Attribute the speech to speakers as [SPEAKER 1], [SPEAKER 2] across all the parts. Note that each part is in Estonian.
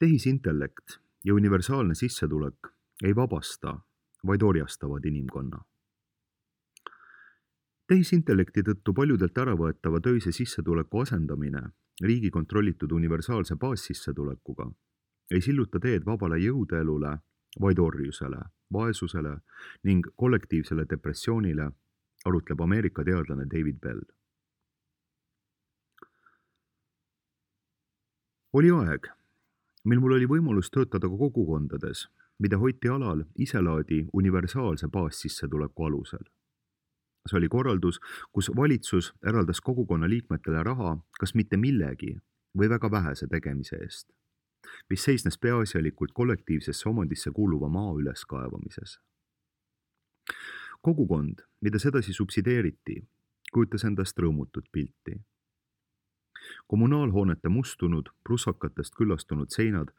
[SPEAKER 1] Tehisintellekt ja universaalne sissetulek ei vabasta, vaid orjastavad inimkonna. Tehisintellekti tõttu paljudelt äravõetava töise sissetuleku asendamine riigi kontrollitud universaalse baassissetulekuga ei silluta teed vabale jõudeelule, vaid orjusele, vaesusele ning kollektiivsele depressioonile, arutleb Ameerika teadlane David Bell. Oli aeg, mil mul oli võimalus töötada ka kogukondades, mida hoiti alal iselaadi universaalse baassissetuleku alusel. See oli korraldus, kus valitsus eraldas kogukonna liikmetele raha kas mitte millegi või väga vähese tegemise eest, mis seisnes peaasjalikult kollektiivsesse omandisse kuuluva maa üleskaevamises. Kogukond, mida sedasi subsideeriti, kujutas endast rõõmutut pilti. Kommunaalhoonete mustunud, prussakatest küllastunud seinad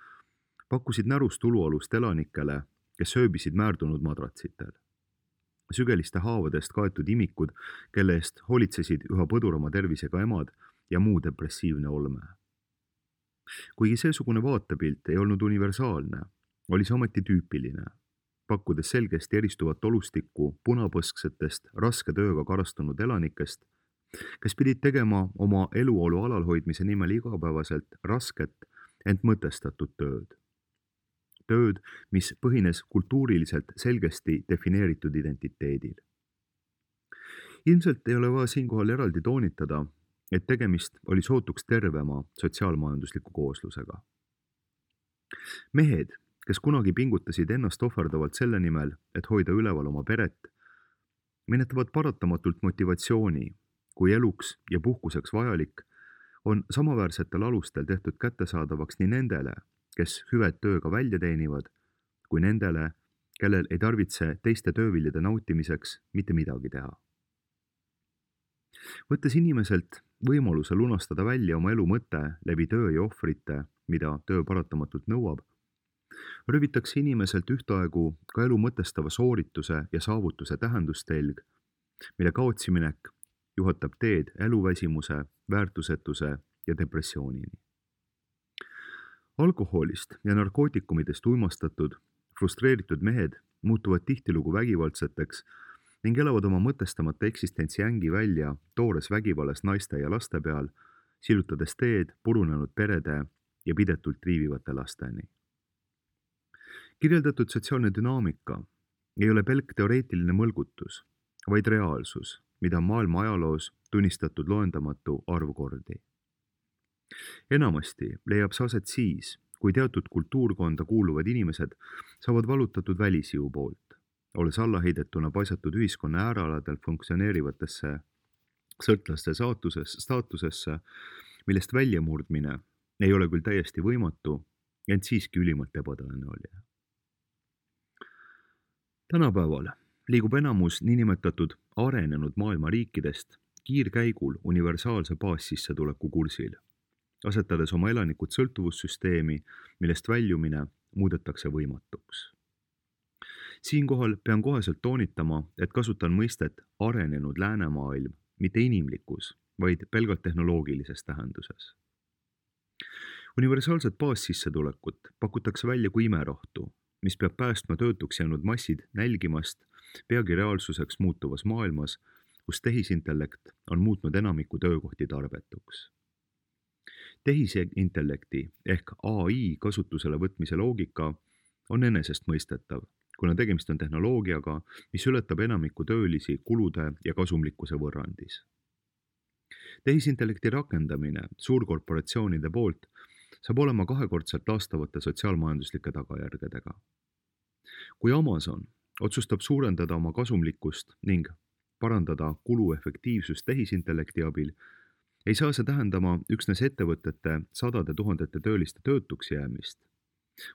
[SPEAKER 1] pakkusid närust ulualust elanikele, kes sööbisid määrdunud madratsitel. Sügeliste haavadest kaetud imikud, kelle eest hoolitsesid üha põdurama tervisega emad ja muu depressiivne olme. Kuigi seesugune vaatepilt ei olnud universaalne, oli see ometi tüüpiline, pakkudes selgesti eristuvat olustikku punapõsksetest raske tööga karastunud elanikest, kes pidid tegema oma eluolu alalhoidmise nimel igapäevaselt rasket, ent mõtestatud tööd. Tööd, mis põhines kultuuriliselt selgesti defineeritud identiteedil. Ilmselt ei ole vaja siinkohal eraldi toonitada, et tegemist oli sootuks tervema sotsiaalmajandusliku kooslusega. Mehed, kes kunagi pingutasid ennast ohverdavalt selle nimel, et hoida üleval oma peret, menetavad paratamatult motivatsiooni, kui eluks ja puhkuseks vajalik, on samaväärsetel alustel tehtud kättesaadavaks nii nendele, kes hüved tööga välja teenivad, kui nendele, kellel ei tarvitse teiste tööviljade nautimiseks mitte midagi teha. Võttes inimeselt võimaluse lunastada välja oma elu mõte läbi töö ja ohvrite, mida töö paratamatult nõuab, röövitakse inimeselt ühtaegu ka elu mõtestava soorituse ja saavutuse tähendustelg, mille kaotsiminek juhatab teed eluväsimuse, väärtusetuse ja depressioonini. Alkoholist ja narkootikumidest uimastatud, frustreeritud mehed muutuvad tihtilugu vägivaldseteks ning elavad oma mõtestamata eksistentsi ängi välja toores vägivallas naiste ja laste peal, sillutades teed purunenud perede ja pidetult triivivate lasteni. Kirjeldatud sotsiaalne dünaamika ei ole pelk teoreetiline mõlgutus, vaid reaalsus, mida on maailma ajaloos tunnistatud loendamatu arv kordi. Enamasti leiab see aset siis, kui teatud kultuurkonda kuuluvad inimesed saavad valutatud välisjõu poolt, olles allaheidetuna paisatud ühiskonna äärealadel funktsioneerivatesse sõltlaste staatusesse, millest väljamurdmine ei ole küll täiesti võimatu, ent siiski ülimalt ebatõenäoline. Tänapäeval liigub enamus niinimetatud arenenud maailma riikidest kiirkäigul universaalse baassissetuleku kursil, asetades oma elanikud sõltuvussüsteemi, millest väljumine muudetakse võimatuks. Siinkohal pean koheselt toonitama, et kasutan mõistet arenenud läänemaailm mitte inimlikus, vaid pelgalt tehnoloogilises tähenduses. Universaalset baassissetulekut pakutakse välja kui imerohtu, mis peab päästma töötuks jäänud massid nälgimast peagi reaalsuseks muutuvas maailmas, kus tehisintellekt on muutnud enamiku töökohti tarbetuks. Tehisintellekti ehk AI kasutusele võtmise loogika on enesestmõistetav, kuna tegemist on tehnoloogiaga, mis ületab enamiku töölisi kulude ja kasumlikkuse võrrandis. Tehisintellekti rakendamine suurkorporatsioonide poolt saab olema kahekordselt laastavate sotsiaalmajanduslike tagajärgedega. Kui Amazon otsustab suurendada oma kasumlikkust ning parandada kuluefektiivsust tehisintellekti abil, ei saa see tähendama üksnes ettevõtete sadade tuhandete tööliste töötuks jäämist,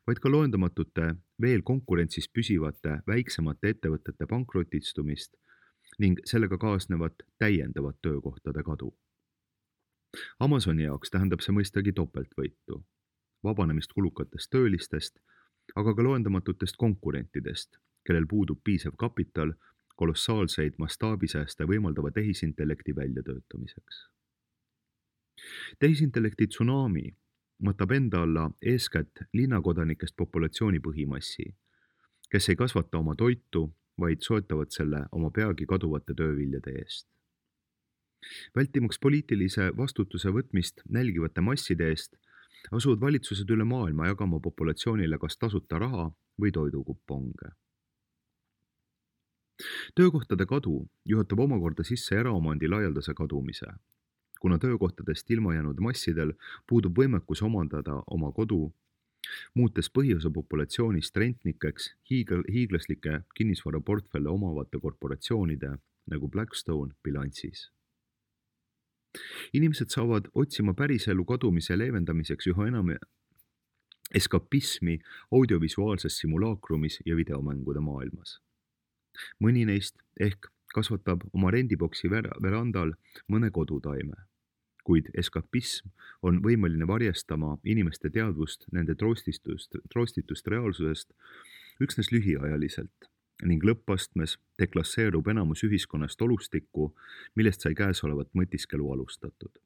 [SPEAKER 1] vaid ka loendamatute veel konkurentsis püsivate väiksemate ettevõtete pankrotistumist ning sellega kaasnevat täiendavat töökohtade kadu. Amazoni jaoks tähendab see mõistagi topeltvõitu, vabanemist kulukatest töölistest, aga ka loendamatutest konkurentidest, kellel puudub piisav kapital kolossaalseid mastaabisääste võimaldava tehisintellekti väljatöötamiseks. Tehisintellekti tsunami võtab enda alla eeskätt linnakodanikest populatsiooni põhimassi, kes ei kasvata oma toitu, vaid soetavad selle oma peagi kaduvate tööviljade eest. Vältimaks poliitilise vastutuse võtmist nälgivate masside eest, asuvad valitsused üle maailma jagama populatsioonile kas tasuta raha või toidukuponge. Töökohtade kadu juhatab omakorda sisse eraomandi laialdase kadumise, kuna töökohtadest ilma jäänud massidel puudub võimekus omandada oma kodu, muutes põhiosa populatsioonist rentnikeks hiiglaslike kinnisvaraportfelle omavate korporatsioonide nagu Blackstone bilansis. Inimesed saavad otsima päriselu kadumise leevendamiseks üha enam eskapismi audiovisuaalses simulaakrumis ja videomängude maailmas. Mõni neist ehk kasvatab oma rendiboksi verandal mõne kodutaime, kuid eskapism on võimeline varjastama inimeste teadvust nende troostitust reaalsusest üksnes lühiajaliselt ning lõppastmes deklasseerub enamus ühiskonnast olustikku, millest sai käesolevat mõtiskelu alustatud.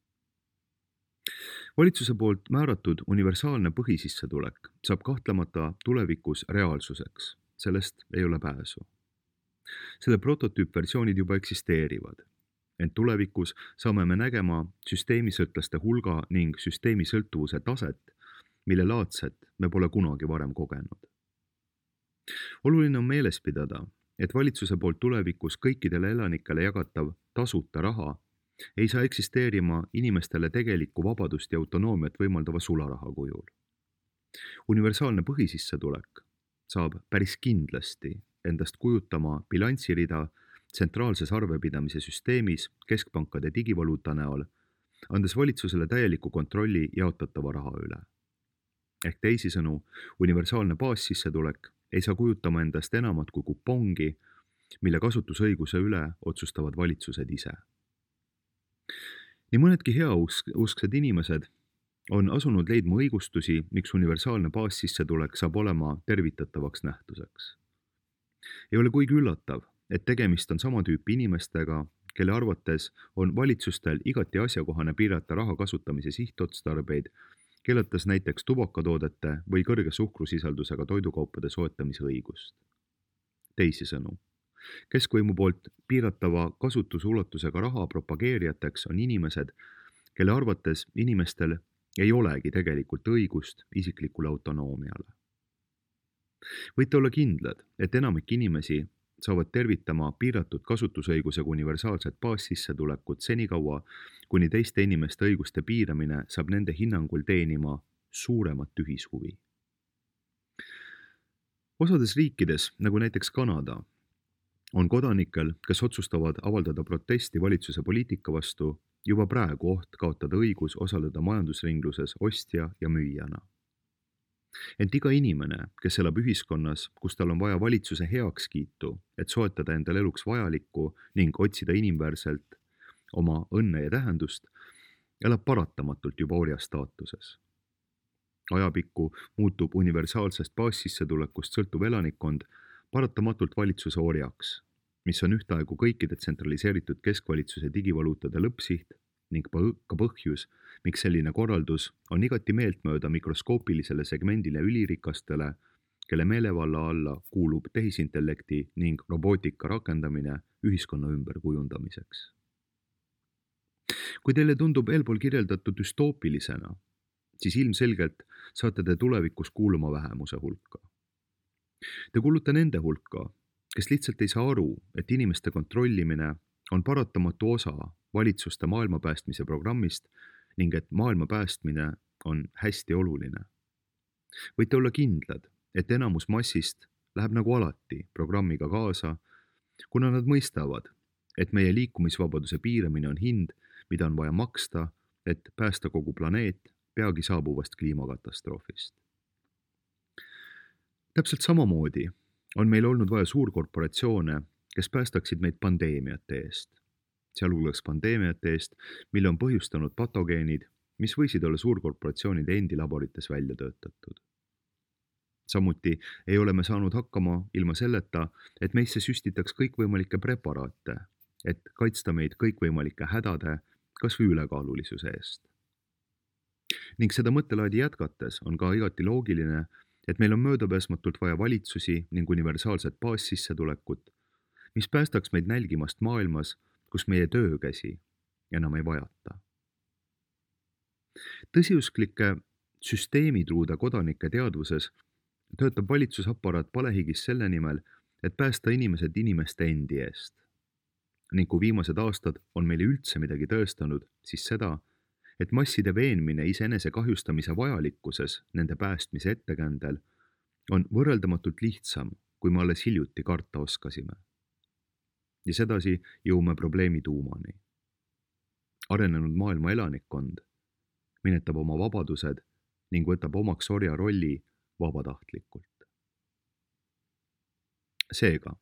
[SPEAKER 1] Valitsuse poolt määratud universaalne põhisissetulek saab kahtlemata tulevikus reaalsuseks, sellest ei ole pääsu. Selle prototüüpversioonid juba eksisteerivad, ent tulevikus saame me nägema süsteemisõltlaste hulga ning süsteemisõltuvuse taset, mille laadset me pole kunagi varem kogenud. Oluline on meeles pidada, et valitsuse poolt tulevikus kõikidele elanikele jagatav tasuta raha ei saa eksisteerima inimestele tegelikku vabadust ja autonoomiat võimaldava sularaha kujul. Universaalne põhisissetulek saab päris kindlasti endast kujutama bilanssirida tsentraalses arvepidamise süsteemis keskpankade digivaluuta näol, andes valitsusele täieliku kontrolli jaotatava raha üle. Ehk teisisõnu, universaalne baassissetulek ei saa kujutama endast enamat kui kupongi, mille kasutusõiguse üle otsustavad valitsused ise. Nii mõnedki heausksed inimesed on asunud leidma õigustusi, miks universaalne baassissetulek saab olema tervitatavaks nähtuseks. Ei ole kuigi üllatav, et tegemist on sama tüüpi inimestega, kelle arvates on valitsustel igati asjakohane piirata raha kasutamise sihtotstarbeid, keelates näiteks tubakatoodete või kõrge suhkrusisaldusega toidukaupade soetamise õigust. Teisisõnu, keskvõimu poolt piiratava kasutusulatusega raha propageerijateks on inimesed, kelle arvates inimestel ei olegi tegelikult õigust isiklikule autonoomiale. Võite olla kindlad, et enamik inimesi saavad tervitama piiratud kasutusõigusega universaalset baassissetulekut senikaua, kuni teiste inimeste õiguste piiramine saab nende hinnangul teenima suuremat ühishuvi. Osades riikides, nagu näiteks Kanada, on kodanikel, kes otsustavad avaldada protesti valitsuse poliitika vastu, juba praegu oht kaotada õigus osaleda majandusringluses ostja ja müüjana. Ent iga inimene, kes elab ühiskonnas, kus tal on vaja valitsuse heakskiitu, et soetada endal eluks vajalikku ning otsida inimväärselt oma õnne ja tähendust, elab paratamatult juba orja staatuses. Ajapikku muutub universaalsest baassissetulekust sõltuv elanikkond paratamatult valitsuse orjaks, mis on ühtaegu kõikide tsentraliseeritud keskvalitsuse digivaluutade lõppsiht ning ka põhjus, miks selline korraldus on igati meeltmööda mikroskoopilisele segmendile ülirikastele, kelle meelevalla alla kuulub tehisintellekti ning robootika rakendamine ühiskonna ümberkujundamiseks. Kui teile tundub eelpool kirjeldatud düstoopilisena, siis ilmselgelt saate te tulevikus kuuluma vähemuse hulka. Te kuulute nende hulka, kes lihtsalt ei saa aru, et inimeste kontrollimine on paratamatu osa valitsuste maailma päästmise programmist ning et maailma päästmine on hästi oluline. Võite olla kindlad, et enamus massist läheb nagu alati programmiga kaasa, kuna nad mõistavad, et meie liikumisvabaduse piiramine on hind, mida on vaja maksta, et päästa kogu planeet peagi saabuvast kliimakatastroofist. Täpselt samamoodi on meil olnud vaja suurkorporatsioone, kes päästaksid meid pandeemiate eest, sealhulgas pandeemiate eest, mille on põhjustanud patogeenid, mis võisid olla suurkorporatsioonide endi laborites välja töötatud. Samuti ei ole me saanud hakkama ilma selleta, et meisse süstitaks kõikvõimalikke preparaate, et kaitsta meid kõikvõimalike hädade, kas või ülekaalulisuse eest. Ning seda mõttelaadi jätkates on ka igati loogiline, et meil on möödapääsmatult vaja valitsusi ning universaalset baassissetulekut, mis päästaks meid nälgimast maailmas, kus meie töökäsi enam ei vajata. Tõsiusklike süsteemitruude kodanike teadvuses töötab valitsusaparaat palehigis selle nimel, et päästa inimesed inimeste endi eest. Ning kui viimased aastad on meile üldse midagi tõestanud, siis seda, et masside veenmine iseenese kahjustamise vajalikkuses nende päästmise ettekäändel on võrreldamatult lihtsam, kui me alles hiljuti karta oskasime. Ja sedasi jõuame probleemi tuumani. Arenenud maailma elanikkond minetab oma vabadused ning võtab omaks orja rolli vabatahtlikult. Seega,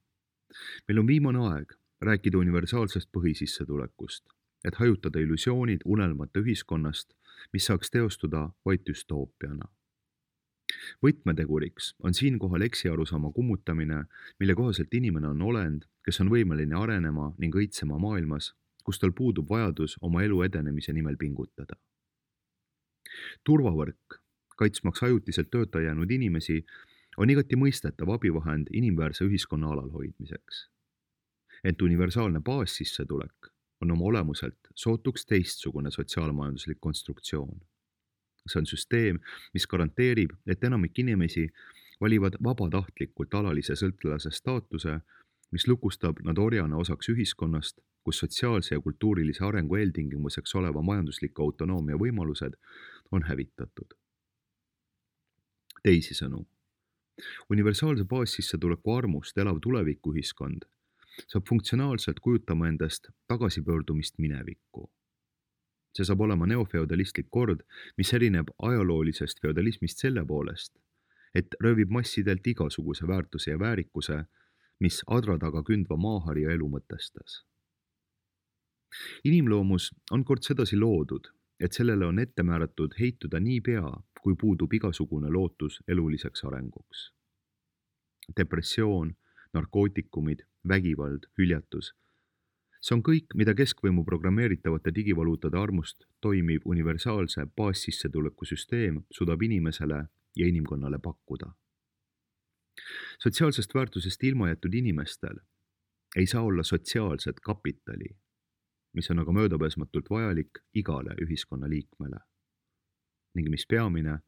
[SPEAKER 1] meil on viimane aeg rääkida universaalsest põhisissetulekust, et hajutada illusioonid unelmate ühiskonnast, mis saaks teostuda vaid düstoopiana. Võtmeteguriks on siinkohal eksiarusaama kummutamine, mille kohaselt inimene on olend, kes on võimeline arenema ning õitsema maailmas, kus tal puudub vajadus oma elu edenemise nimel pingutada. Turvavõrk, kaitsmaks ajutiselt tööta jäänud inimesi, on igati mõistetav abivahend inimväärse ühiskonna alalhoidmiseks. Ent universaalne baassissetulek on oma olemuselt sootuks teistsugune sotsiaalmajanduslik konstruktsioon. See on süsteem, mis garanteerib, et enamik inimesi valivad vabatahtlikult alalise sõltlase staatuse, mis lukustab nad orjana osaks ühiskonnast, kus sotsiaalse ja kultuurilise arengu eeltingimuseks oleva majandusliku autonoomia võimalused on hävitatud. Teisisõnu, universaalse baassissetuleku armust elav tulevikuühiskond saab funktsionaalselt kujutama endast tagasipöördumist minevikku. See saab olema neofeodalistlik kord, mis erineb ajaloolisest feodalismist selle poolest, et röövib massidelt igasuguse väärtuse ja väärikuse, mis adra taga kündva maaharja elu mõtestas. Inimloomus on kord sedasi loodud, et sellele on ette määratud heituda nii pea, kui puudub igasugune lootus eluliseks arenguks. Depressioon, narkootikumid, vägivald, hüljatus. See on kõik, mida keskvõimu programmeeritavate digivaluutade armust toimiv universaalse baassissetuleku süsteem suudab inimesele ja inimkonnale pakkuda. Sotsiaalsest väärtusest ilma jäetud inimestel ei saa olla sotsiaalset kapitali, mis on aga möödapääsmatult vajalik igale ühiskonna liikmele. Ning mis peamine,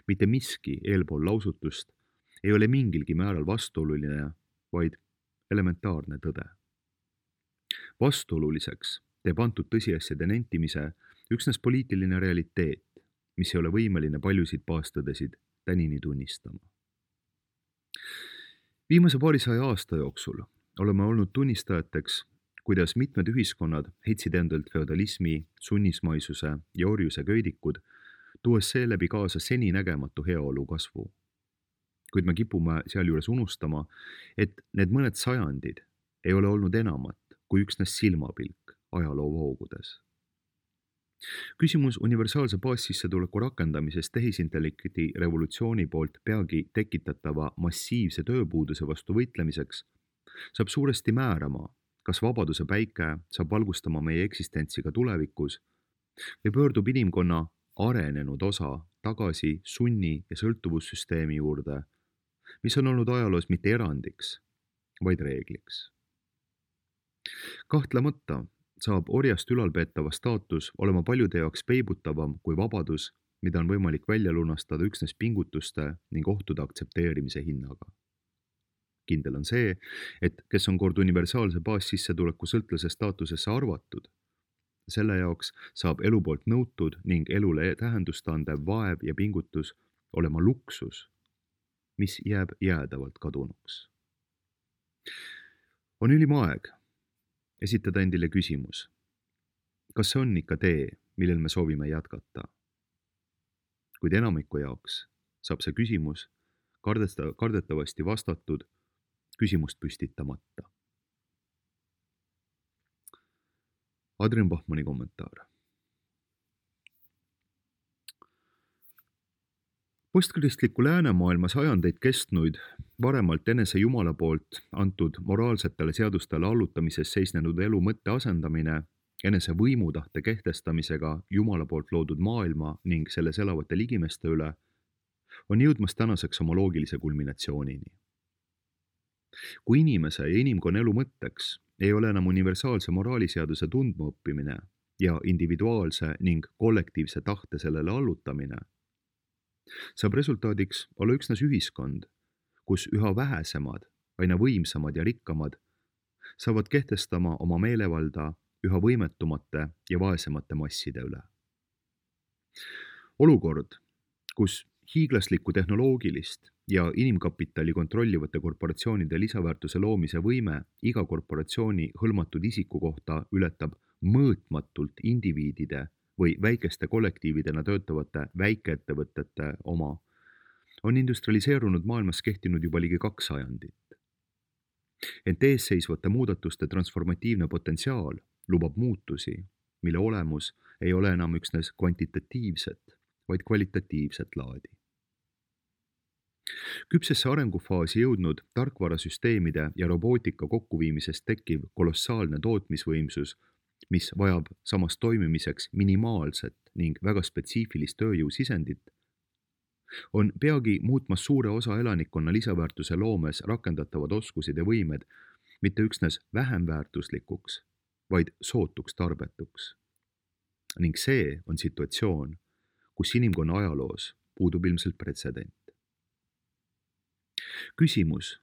[SPEAKER 1] mitte miski eelpool lausutust ei ole mingilgi määral vastuoluline, vaid elementaarne tõde. Vastuoluliseks teeb antud tõsiasjade nentimise üksnes poliitiline realiteet, mis ei ole võimeline paljusid baastõdesid tänini tunnistama. Viimase paarisaja aasta jooksul oleme olnud tunnistajateks, kuidas mitmed ühiskonnad heitsid endalt feodalismi, sunnismaisuse ja orjuse köidikud, tuues seeläbi kaasa seninägematu heaolu kasvu. Kuid me kipume sealjuures unustama, et need mõned sajandid ei ole olnud enamat kui üksnes silmapilk ajaloo voogudes. Küsimus universaalse baassissetuleku rakendamisest tehisintellekti revolutsiooni poolt peagi tekitatava massiivse tööpuuduse vastu võitlemiseks saab suuresti määrama, kas vabaduse päike saab valgustama meie eksistentsi ka tulevikus või pöördub inimkonna arenenud osa tagasi sunni- ja sõltuvussüsteemi juurde, mis on olnud ajaloos mitte erandiks, vaid reegliks. Kahtlemata saab orjast ülalpeetava staatus olema paljude jaoks peibutavam kui vabadus, mida on võimalik välja lunastada üksnes pingutuste ning ohtude aktsepteerimise hinnaga. Kindel on see, et kes on kord universaalse baassissetuleku sõltlase staatusesse arvatud, selle jaoks saab elu poolt nõutud ning elule tähendust andev vaev ja pingutus olema luksus, mis jääb jäädavalt kadunuks. On ülim aeg esitada endile küsimus, kas see on ikka tee, millel me soovime jätkata? Kuid enamiku jaoks saab see küsimus kardetavasti vastatud küsimust püstitamata. Adrian Bachmanni kommentaar. Postkristliku läänemaailma sajandeid kestnuid, varemalt enese Jumala poolt antud moraalsetele seadustele allutamises seisnenud elu mõtte asendamine enese võimutahte kehtestamisega Jumala poolt loodud maailma ning selles elavate ligimeste üle, on jõudmas tänaseks oma loogilise kulminatsioonini. Kui inimese ja inimkonna elu mõtteks ei ole enam universaalse moraaliseaduse tundmaõppimine ja individuaalse ning kollektiivse tahte sellele allutamine, saab resultaadiks olla üksnes ühiskond, kus üha vähesemad, aina võimsamad ja rikkamad saavad kehtestama oma meelevalda üha võimetumate ja vaesemate masside üle. Olukord, kus hiiglaslikku tehnoloogilist ja inimkapitali kontrollivate korporatsioonide lisaväärtuse loomise võime iga korporatsiooni hõlmatud isiku kohta ületab mõõtmatult indiviidide või väikeste kollektiividena töötavate väikeettevõtete oma, on industrialiseerunud maailmas kehtinud juba ligi 2 sajandit. Ent eesseisvate muudatuste transformatiivne potentsiaal lubab muutusi, mille olemus ei ole enam üksnes kvantitatiivset, vaid kvalitatiivset laadi. Küpsesse arengufaasi jõudnud tarkvarasüsteemide ja robootika kokkuviimisest tekkiv kolossaalne tootmisvõimsus, mis vajab samas toimimiseks minimaalset ning väga spetsiifilist tööjõusisendit, on peagi muutmas suure osa elanikkonna lisaväärtuse loomes rakendatavad oskused ja võimed mitte üksnes vähem väärtuslikuks, vaid sootuks tarbetuks. Ning see on situatsioon, kus inimkonna ajaloos puudub ilmselt pretsedent. Küsimus,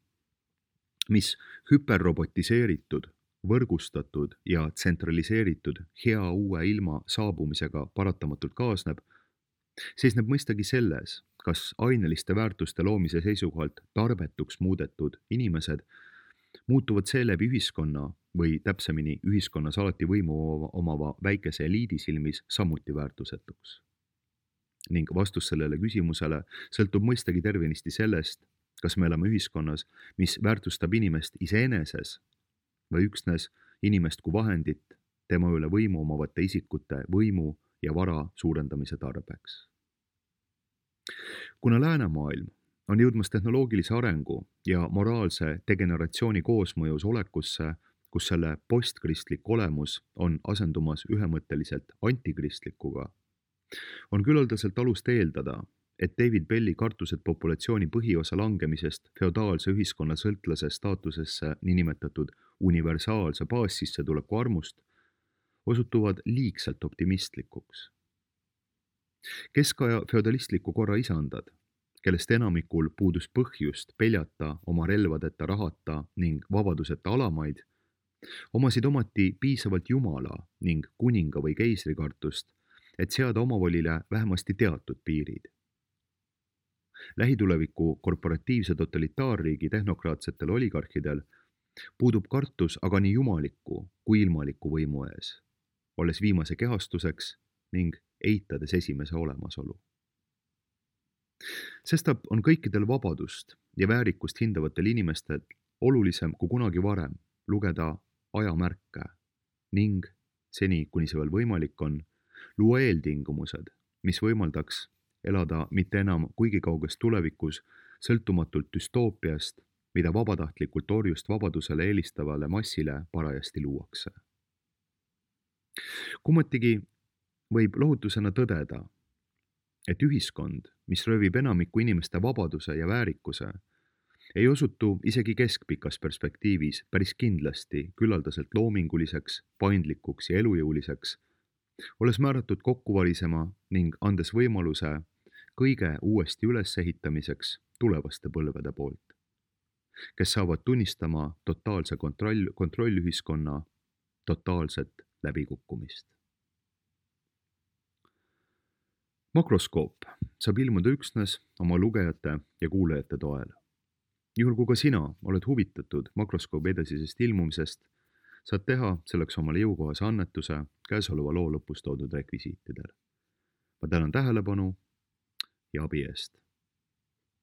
[SPEAKER 1] mis hüperrobotiseeritud, võrgustatud ja tsentraliseeritud hea uue ilma saabumisega paratamatult kaasneb, seisneb mõistagi selles, kas aineliste väärtuste loomise seisukohalt tarbetuks muudetud inimesed muutuvad seeläbi ühiskonna või täpsemini ühiskonnas alati võimu omava väikese eliidi silmis samuti väärtusetuks. Ning vastus sellele küsimusele sõltub mõistagi tervenisti sellest, kas me elame ühiskonnas, mis väärtustab inimest iseeneses või üksnes inimest kui vahendit tema üle võimu omavate isikute võimu ja vara suurendamise tarbeks. Kuna läänemaailm on jõudmas tehnoloogilise arengu ja moraalse degeneratsiooni koosmõjus olekusse, kus selle postkristlik olemus on asendumas ühemõtteliselt antikristlikuga, on küllaldaselt alust eeldada, et David Belli kartused populatsiooni põhiosa langemisest feodaalse ühiskonna sõltlase staatusesse niinimetatud universaalse baassissetuleku armust osutuvad liigselt optimistlikuks. Keskaja feodalistliku korra isandad, kellest enamikul puudus põhjust peljata oma relvadeta, rahata ning vabaduseta alamaid, omasid omati piisavalt jumala ning kuninga või keisri kartust, et seada omavolile vähemasti teatud piirid. Lähituleviku korporatiivse totalitaarriigi tehnokraatsetel oligarhidel puudub kartus aga nii jumaliku kui ilmaliku võimu ees, olles viimase kehastuseks ning eitades esimese olemasolu. Sestap on kõikidel vabadust ja väärikust hindavatel inimestel olulisem kui kunagi varem lugeda ajamärke ning, seni kuni see veel võimalik on, luua eeltingimused, mis võimaldaks elada mitte enam kuigi kauges tulevikus sõltumatult düstoopiast, mida vabatahtlikult orjust vabadusele eelistavale massile parajasti luuakse. Kummatigi võib lohutusena tõdeda, et ühiskond, mis röövib enamiku inimeste vabaduse ja väärikuse, ei osutu isegi keskpikas perspektiivis päris kindlasti küllaldaselt loominguliseks, paindlikuks ja elujõuliseks, olles määratud kokkuvarisema ning andes võimaluse kõige uuesti ülesehitamiseks tulevaste põlvede poolt, kes saavad tunnistama totaalse kontrollühiskonna totaalset läbikukkumist. Makroskoop saab ilmuda üksnes oma lugejate ja kuulajate toel. Juhul kui ka sina oled huvitatud makroskoobi edasisest ilmumisest, saad teha selleks omale jõukohase annetuse käesoleva loo lõpus toodud rekvisiitidel. Ma tänan tähelepanu ja abi eest.